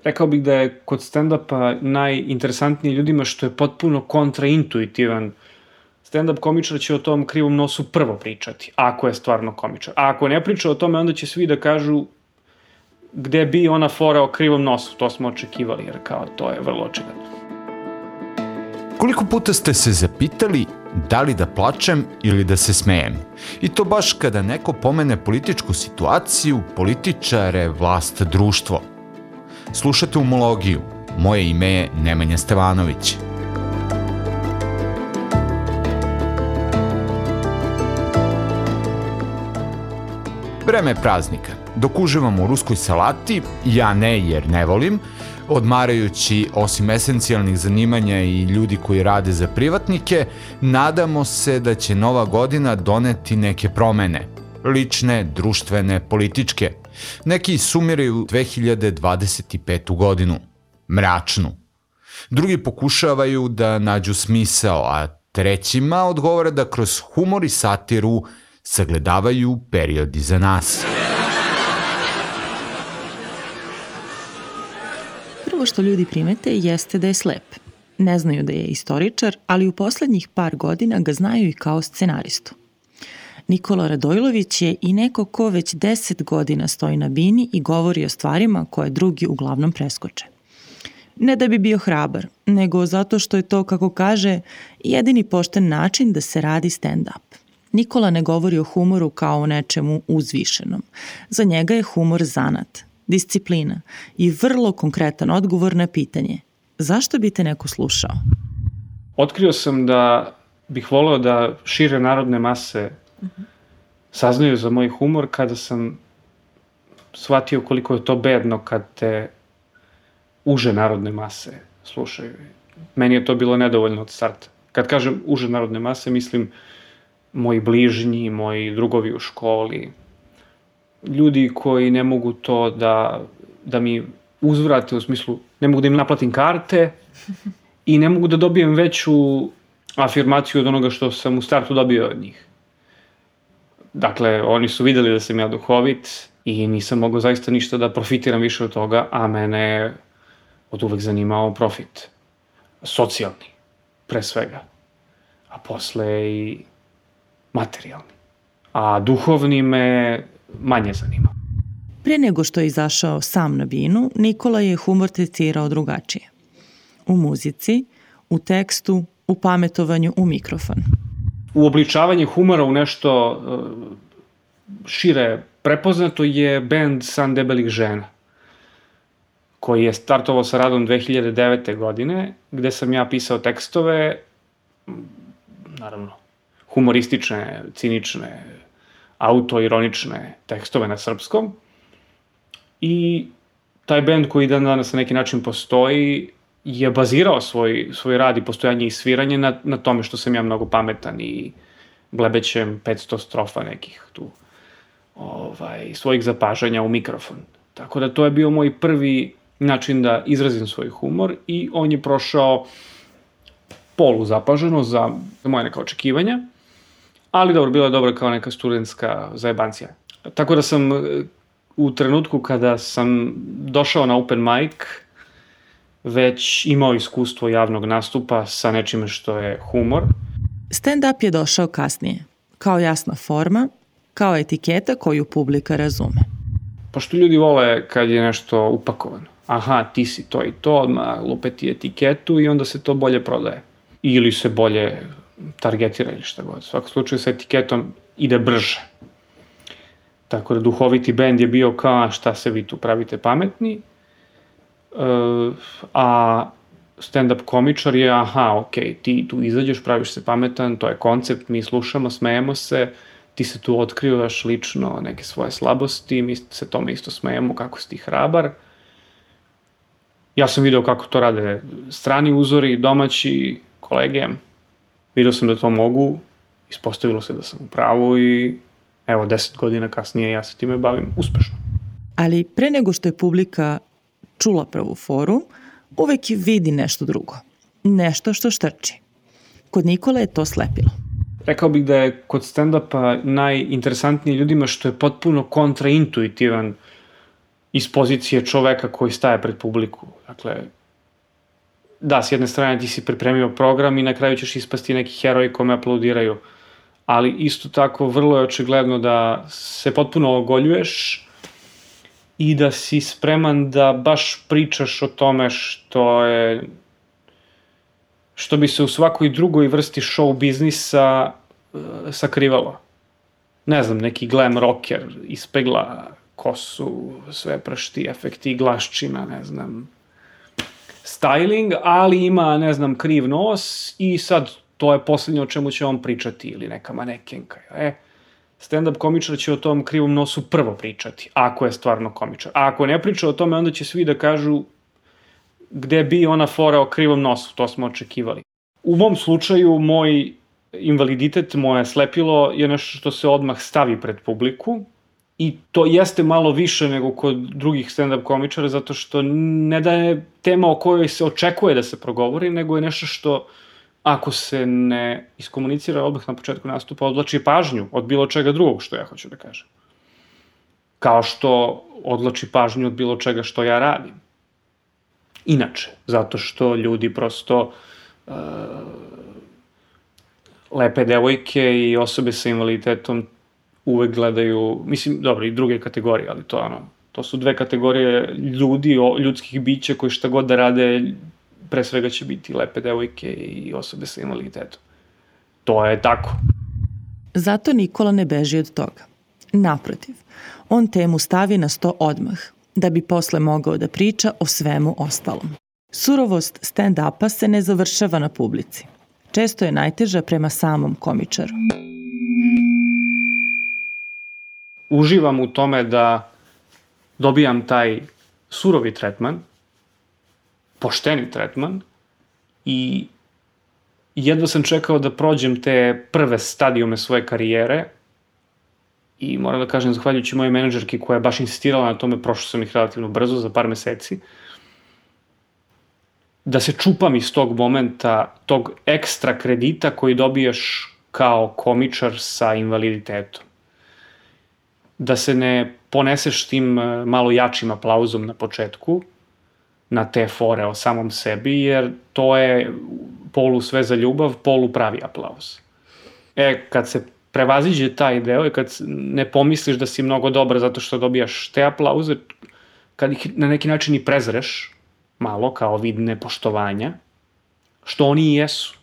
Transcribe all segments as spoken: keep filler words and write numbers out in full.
Rekao bih da je kod stand-upa najinteresantniji ljudima što je potpuno kontraintuitivan. Stand-up komičar će o tom krivom nosu prvo pričati, ako je stvarno komičar. A ako ne priča o tome, onda će svi da kažu gde bi ona fora o krivom nosu. To smo očekivali, jer kao to je vrlo očigledno. Koliko puta ste se zapitali da li da plačem ili da se smejem? I to baš kada neko pomene političku situaciju, političare, vlast, društvo. Slušate Umologiju. Moje ime je Nemanja Stevanović. Vreme je praznika. Dok uživamo u ruskoj salati, ja ne jer ne volim, odmarajući osim esencijalnih zanimanja i ljudi koji rade za privatnike, nadamo se da će nova godina doneti neke promene. Lične, društvene, političke. Neki sumiraju dve hiljade dvadeset petu godinu. Mračnu. Drugi pokušavaju da nađu smisao, a trećima odgovara da kroz humor i satiru sagledavaju period iza nas. Prvo što ljudi primete jeste da je slep. Ne znaju da je istoričar, ali u poslednjih par godina ga znaju i kao scenaristu. Nikola Radojlović je i neko ko već deset godina stoji na bini i govori o stvarima koje drugi uglavnom preskoče. Ne da bi bio hrabar, nego zato što je to, kako kaže, jedini pošten način da se radi stand-up. Nikola ne govori o humoru kao o nečemu uzvišenom. Za njega je humor zanat, disciplina i vrlo konkretan odgovor na pitanje zašto bi te neko slušao? Otkrio sam da bih voleo da šire narodne mase saznaju za moj humor kada sam shvatio koliko je to bedno kad te uže narodne mase slušaju. Meni je to bilo nedovoljno od starta. Kad kažem uže narodne mase, mislim moji bližnji, moji drugovi u školi, ljudi koji ne mogu to da, da mi uzvrate, u smislu ne mogu da im naplatim karte i ne mogu da dobijem veću afirmaciju od onoga što sam u startu dobio od njih. Dakle, oni su videli da sam ja duhovit i nisam mogao zaista ništa da profitiram više od toga, a mene je od uvek zanimao profit. Socijalni, pre svega. A posle i materijalni. A duhovni me manje zanima. Pre nego što je izašao sam na binu, Nikola je humor tretirao drugačije. U muzici, u tekstu, u pametovanju u mikrofon. Uobličavanje humora u nešto šire prepoznato je bend San debelih žena, koji je startovao sa radom dve hiljade devete. godine, gde sam ja pisao tekstove, naravno, humoristične, cinične, autoironične tekstove na srpskom. I taj bend koji dan danas na neki način postoji je bazirao svoj, svoj rad i postojanje i sviranje na, na tome što sam ja mnogo pametan i blebećem petsto strofa nekih tu ovaj, svojih zapažanja u mikrofon. Tako da to je bio moj prvi način da izrazim svoj humor i on je prošao polu zapaženo za, za moje neka očekivanja, ali dobro, bila je dobra kao neka studentska zajebancija. Tako da sam u trenutku kada sam došao na open mic već imao iskustvo javnog nastupa sa nečime što je humor. Stand-up je došao kasnije, kao jasna forma, kao etiketa koju publika razume. Pošto ljudi vole kad je nešto upakovano. Aha, ti si to i to, odmah lupeti etiketu i onda se to bolje prodaje. Ili se bolje targetira ili šta god. U svakom slučaju sa etiketom ide brže. Tako da duhoviti bend je bio kao šta se vi tu pravite pametni, uh, a stand-up komičar je aha, ok, ti tu izađeš, praviš se pametan, to je koncept, mi slušamo, smejemo se, ti se tu otkrivaš lično neke svoje slabosti, mi se tome isto smejemo kako si ti hrabar. Ja sam video kako to rade strani uzori, domaći, kolege. Video sam da to mogu, ispostavilo se da sam u pravu i evo, deset godina kasnije ja se time bavim uspešno. Ali pre nego što je publika čula prvu foru, uvek vidi nešto drugo. Nešto što štrči. Kod Nikole je to slepilo. Rekao bih da je kod stand-upa najinteresantniji ljudima što je potpuno kontraintuitivan iz pozicije čoveka koji staje pred publiku. Dakle, da, s jedne strane ti si pripremio program i na kraju ćeš ispasti neki heroji kome aplaudiraju, ali isto tako vrlo je očigledno da se potpuno ogoljuješ i da si spreman da baš pričaš o tome što je što bi se u svakoj drugoj vrsti show biznisa uh, sakrivalo. Ne znam, neki glam rocker ispegla kosu, sve pršti, efekti, glaščina, ne znam, styling, ali ima, ne znam, kriv nos i sad to je poslednje o čemu će on pričati ili neka manekenka. E, stand-up komičar će o tom krivom nosu prvo pričati, ako je stvarno komičar. A ako ne priča o tome, onda će svi da kažu gde bi ona fora o krivom nosu, to smo očekivali. U mom slučaju, moj invaliditet, moje slepilo je nešto što se odmah stavi pred publiku i to jeste malo više nego kod drugih stand-up komičara, zato što ne da je tema o kojoj se očekuje da se progovori, nego je nešto što, ako se ne iskomunicira odmah na početku nastupa, odvlači pažnju od bilo čega drugog što ja hoću da kažem. Kao što odvlači pažnju od bilo čega što ja radim. Inače, zato što ljudi prosto uh, lepe devojke i osobe sa invaliditetom uvek gledaju, mislim, dobro, i druge kategorije, ali to, ono, to su dve kategorije ljudi, ljudskih bića koji šta god da rade, pre svega će biti lepe devojke i osobe sa invaliditetom. To je tako. Zato Nikola ne beži od toga. Naprotiv, on temu stavi na sto odmah, da bi posle mogao da priča o svemu ostalom. Surovost stand-upa se ne završava na publici. Često je najteža prema samom komičaru. Uživam u tome da dobijam taj surovi tretman, pošteni tretman i jedva sam čekao da prođem te prve stadijume svoje karijere i moram da kažem, zahvaljujući moje menadžerki koja je baš insistirala na tome, prošao sam ih relativno brzo, za par meseci, da se čupam iz tog momenta, tog ekstra kredita koji dobiješ kao komičar sa invaliditetom. Da se ne poneseš tim malo jačim aplauzom na početku, na te fore o samom sebi, jer to je polu sve za ljubav, polu pravi aplauz. E, kad se prevaziđe taj deo i kad ne pomisliš da si mnogo dobar zato što dobijaš te aplauze, kad ih na neki način i prezreš, malo kao vid nepoštovanja, što oni i jesu.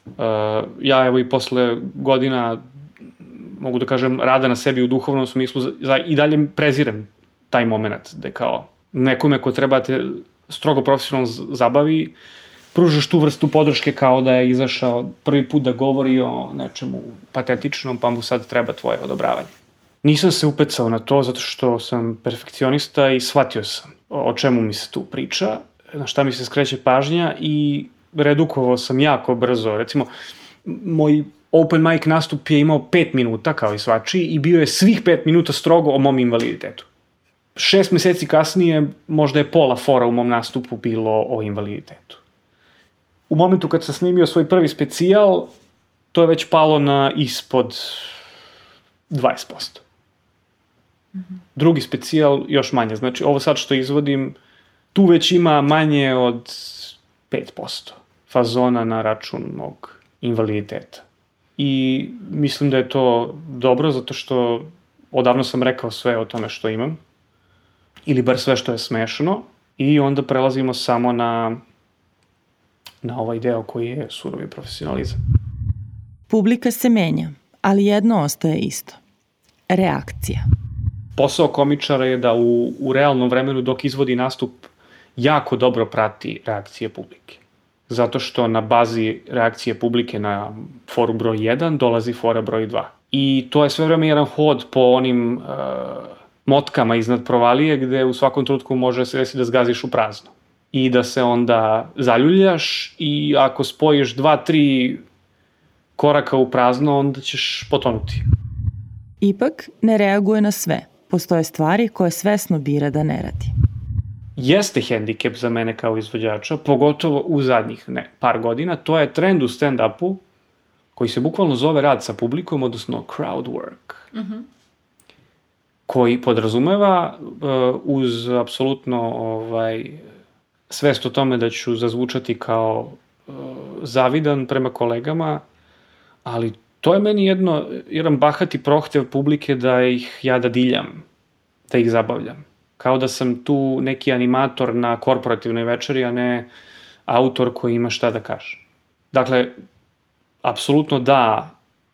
Uh, ja evo i posle godina, mogu da kažem, rada na sebi u duhovnom smislu, za, i dalje prezirem taj moment, da je kao nekome ko treba te strogo profesionalno zabavi, pružaš tu vrstu podrške kao da je izašao prvi put da govori o nečemu patetičnom, pa mu sad treba tvoje odobravanje. Nisam se upecao na to zato što sam perfekcionista i shvatio sam o čemu mi se tu priča, na šta mi se skreće pažnja i redukovao sam jako brzo. Recimo, moj open mic nastup je imao pet minuta kao i svačiji i bio je svih pet minuta strogo o mom invaliditetu. Šest meseci kasnije možda je pola fora u mom nastupu bilo o invaliditetu. U momentu kad sam snimio svoj prvi specijal, to je već palo na ispod dvadeset posto. Mm-hmm. Drugi specijal još manje. Znači, ovo sad što izvodim, tu već ima manje od pet posto fazona na račun mog invaliditeta. I mislim da je to dobro, zato što odavno sam rekao sve o tome što imam, ili bar sve što je smešno, i onda prelazimo samo na, na ovaj deo koji je surovi profesionalizam. Publika se menja, ali jedno ostaje isto. Reakcija. Posao komičara je da u, u realnom vremenu dok izvodi nastup jako dobro prati reakcije publike. Zato što na bazi reakcije publike na foru broj jedan dolazi fora broj dva. I to je sve vreme jedan hod po onim uh, motkama iznad provalije gde u svakom trenutku može se desiti da zgaziš u prazno. I da se onda zaljuljaš i ako spojiš dva, tri koraka u prazno, onda ćeš potonuti. Ipak ne reaguje na sve. Postoje stvari koje svesno bira da ne radi. Jeste hendikep za mene kao izvođača, pogotovo u zadnjih ne, par godina. To je trend u stand-upu koji se bukvalno zove rad sa publikom, odnosno crowd work. Mm-hmm. koji podrazumeva uh, uz apsolutno ovaj, svest o tome da ću zazvučati kao uh, zavidan prema kolegama, ali to je meni jedno, jedan bahati prohtev publike da ih ja dadiljam, da ih zabavljam. Kao da sam tu neki animator na korporativnoj večeri, a ne autor koji ima šta da kaže. Dakle, apsolutno da,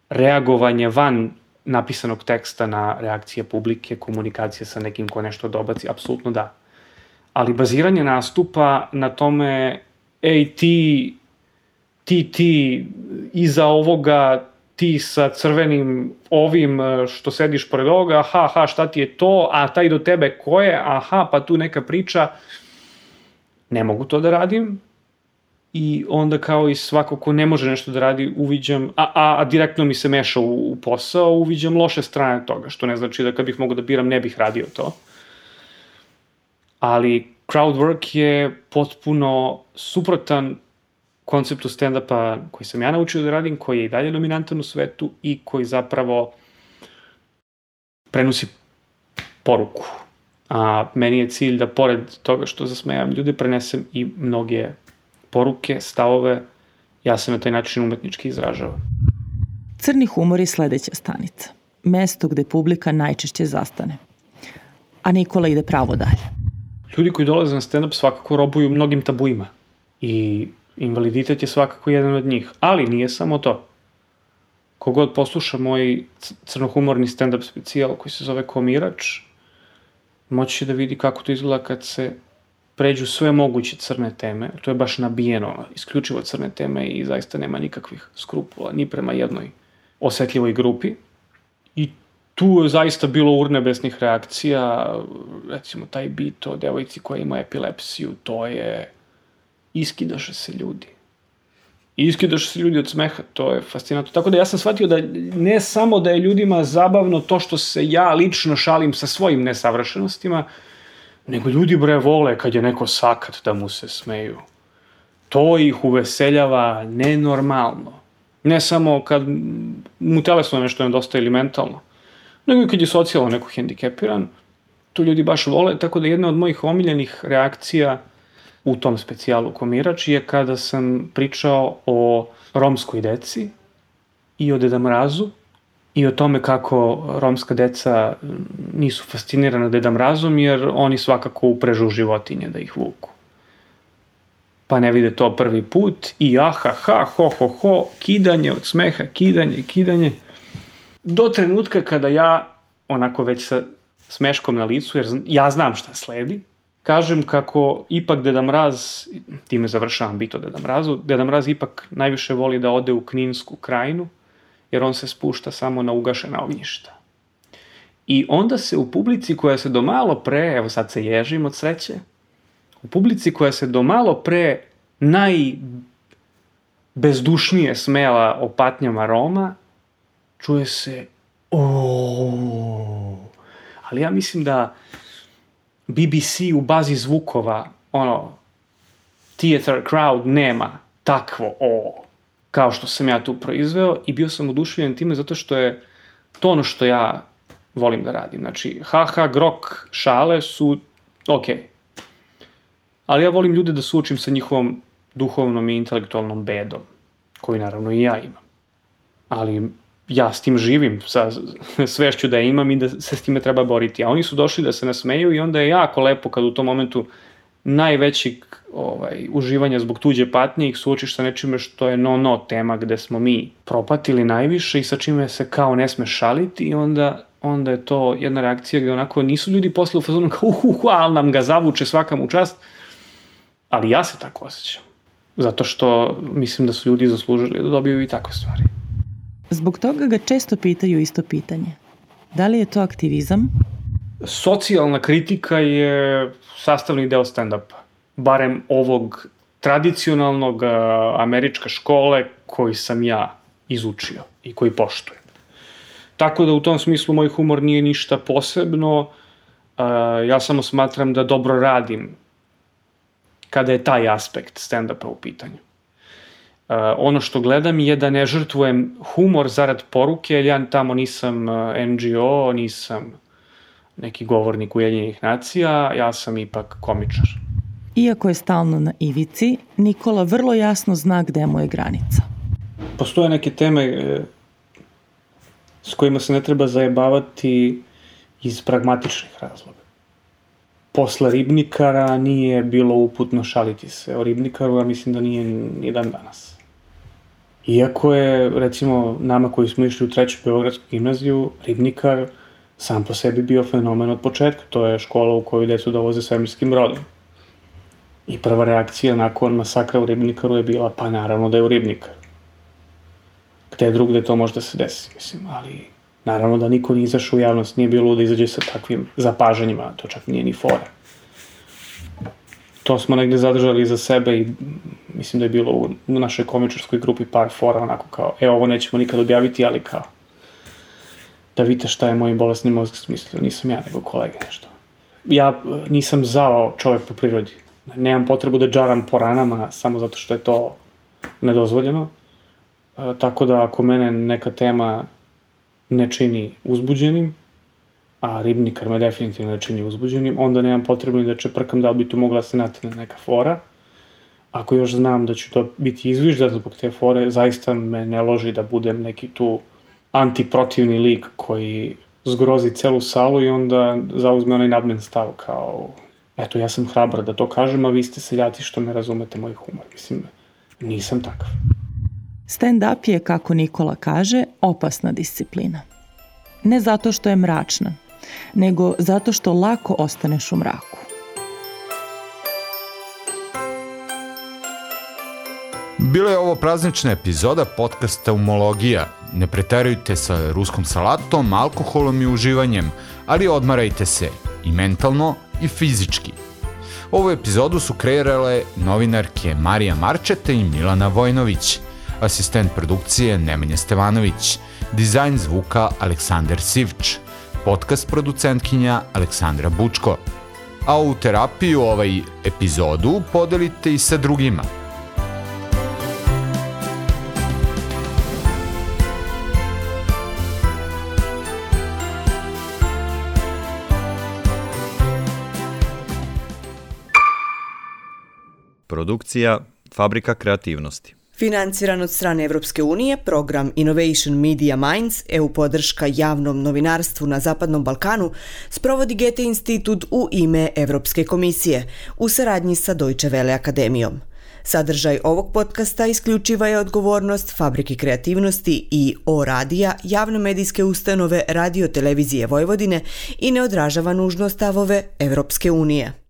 reagovanje van napisanog teksta na reakcije publike, komunikacije sa nekim ko nešto dobaci, apsolutno da. Ali baziranje nastupa na tome, ej ti, ti, ti, iza ovoga, ti sa crvenim ovim što sediš pored ovoga, aha, aha, šta ti je to, a taj do tebe ko je, aha, pa tu neka priča, ne mogu to da radim. I onda kao i svako ko ne može nešto da radi, uviđam, a, a, a direktno mi se meša u, u posao, uviđam loše strane toga, što ne znači da kad bih mogao da biram ne bih radio to. Ali crowd work je potpuno suprotan konceptu stand-upa koji sam ja naučio da radim, koji je i dalje dominantan u svetu i koji zapravo prenosi poruku. A meni je cilj da pored toga što zasmejam ljude, prenesem i mnoge poruke, stavove, ja se na taj način umetnički izražavam. Crni humor je sledeća stanica. Mesto gde publika najčešće zastane. A Nikola ide pravo dalje. Ljudi koji dolaze na stand-up svakako robuju mnogim tabuima. I invaliditet je svakako jedan od njih. Ali nije samo to. Kogod posluša moj crnohumorni stand-up specijal koji se zove Komirač, moći će da vidi kako to izgleda kad se pređu sve moguće crne teme. To je baš nabijeno, isključivo crne teme i zaista nema nikakvih skrupula, ni prema jednoj osetljivoj grupi. I tu je zaista bilo urnebesnih reakcija, recimo taj bit o devojci koja ima epilepsiju, to je, iskidaše se ljudi. Iskidaše se ljudi od smeha, to je fascinantno. Tako da ja sam shvatio da ne samo da je ljudima zabavno to što se ja lično šalim sa svojim nesavršenostima, nego ljudi bre vole kad je neko sakat da mu se smeju. To ih uveseljava nenormalno. Ne samo kad mu telesno nešto nedostaje ili mentalno, nego i kad je socijalno neko hendikepiran, to ljudi baš vole, tako da jedna od mojih omiljenih reakcija u tom specijalu Komirač je kada sam pričao o romskoj deci i o Deda Mrazu i o tome kako romska deca nisu fascinirana Deda Mrazom jer oni svakako uprežu životinje da ih vuku. Pa ne vide to prvi put i aha, ha, ho, ho, ho, kidanje od smeha, kidanje, kidanje. Do trenutka kada ja, onako već sa smeškom na licu, jer ja znam šta sledi, kažem kako ipak Deda Mraz, time završavam bit o Deda Mrazu, Deda Mraz ipak najviše voli da ode u Kninsku krajinu, jer on se spušta samo na ugašena ognjišta. I onda se u publici koja se do malo pre, evo sad se ježim od sreće, u publici koja se do malo pre najbezdušnije smela o patnjama Roma, čuje se ooooooo. Ali ja mislim da B B C u bazi zvukova, ono, theater crowd nema takvo o kao što sam ja tu proizveo i bio sam oduševljen time zato što je to ono što ja volim da radim. Znači, haha, grok, šale su okej. Okay. Ali ja volim ljude da suočim sa njihovom duhovnom i intelektualnom bedom, koju naravno i ja imam. Ali ja s tim živim, sa svešću da je imam i da se s time treba boriti. A oni su došli da se nasmeju i onda je jako lepo kad u tom momentu najvećih ovaj, uživanja zbog tuđe patnje ih suočiš sa nečime što je no-no tema gde smo mi propatili najviše i sa čime se kao ne sme šaliti i onda, onda je to jedna reakcija gde onako nisu ljudi posle u fazonu kao uhuhu, ali nam ga zavuče svaka mu čast, ali ja se tako osjećam. Zato što mislim da su ljudi zaslužili da dobiju i takve stvari. Zbog toga ga često pitaju isto pitanje. Da li je to aktivizam? Socijalna kritika je sastavni deo stand-upa. Barem ovog tradicionalnog američka škole koji sam ja izučio i koji poštujem. Tako da u tom smislu moj humor nije ništa posebno. Ja samo smatram da dobro radim kada je taj aspekt stand-upa u pitanju. Uh, ono što gledam je da ne žrtvujem humor zarad poruke, jer ja tamo nisam N G O, nisam neki govornik Ujedinjenih nacija, ja sam ipak komičar. Iako je stalno na ivici, Nikola vrlo jasno zna gde mu je granica. Postoje neke teme e, s kojima se ne treba zajebavati iz pragmatičnih razloga. Posle Ribnikara nije bilo uputno šaliti se o Ribnikaru, a mislim da nije ni dan danas. Iako je, recimo, nama koji smo išli u treću Beogradsku gimnaziju, Ribnikar sam po sebi bio fenomen od početka. To je škola u koju decu dovoze svemirskim brodom. I prva reakcija nakon masakra u Ribnikaru je bila, pa naravno da je u Ribnikaru. Gde drugde to može da se desi, mislim, ali naravno da niko nije izašao u javnost, nije bilo da izađe sa takvim zapažanjima, to čak nije ni fora. To smo negde zadržali za sebe i mislim da je bilo u našoj komičarskoj grupi par fora, onako kao, e, ovo nećemo nikad objaviti, ali kao, da vidite šta je moj bolesni mozak smislio, nisam ja, nego kolege nešto. Ja nisam zao čovek po prirodi. Nemam potrebu da džaram po ranama samo zato što je to nedozvoljeno. E, tako da ako mene neka tema ne čini uzbuđenim, a Ribnikar me definitivno ne čini uzbuđenim, onda nemam potrebu da čeprkam da li bi tu mogla se natne neka fora. Ako još znam da ću to biti izviždan zbog te fore, zaista me ne loži da budem neki tu antiprotivni lik koji zgrozi celu salu i onda zauzme onaj nadmen stav kao, eto, ja sam hrabar da to kažem, a vi ste seljati što ne razumete moj humor. Mislim, nisam takav. Stand-up je, kako Nikola kaže, opasna disciplina. Ne zato što je mračna, nego zato što lako ostaneš u mraku. Bila je ovo praznična epizoda podcasta Umologija. Ne preterujte sa ruskom salatom, alkoholom i uživanjem, ali odmarajte se i mentalno i fizički. Ovu epizodu su kreirale novinarke Marija Marčeta i Milana Vojnović, asistent produkcije Nemanja Stevanović, dizajn zvuka Aleksandar Sivč, podcast producentkinja Aleksandra Bučko. A ovu terapiju, ovaj epizodu, podelite i sa drugima. Produkcija Fabrika kreativnosti. Financiran od strane Evropske unije, program Innovation Media Minds, E U podrška javnom novinarstvu na Zapadnom Balkanu, sprovodi Goethe institut u ime Evropske komisije, u saradnji sa Deutsche Welle akademijom. Sadržaj ovog podcasta isključiva je odgovornost Fabrike kreativnosti i O radija, javne medijske ustanove Radio Televizije Vojvodine i ne odražava nužno stavove Evropske unije.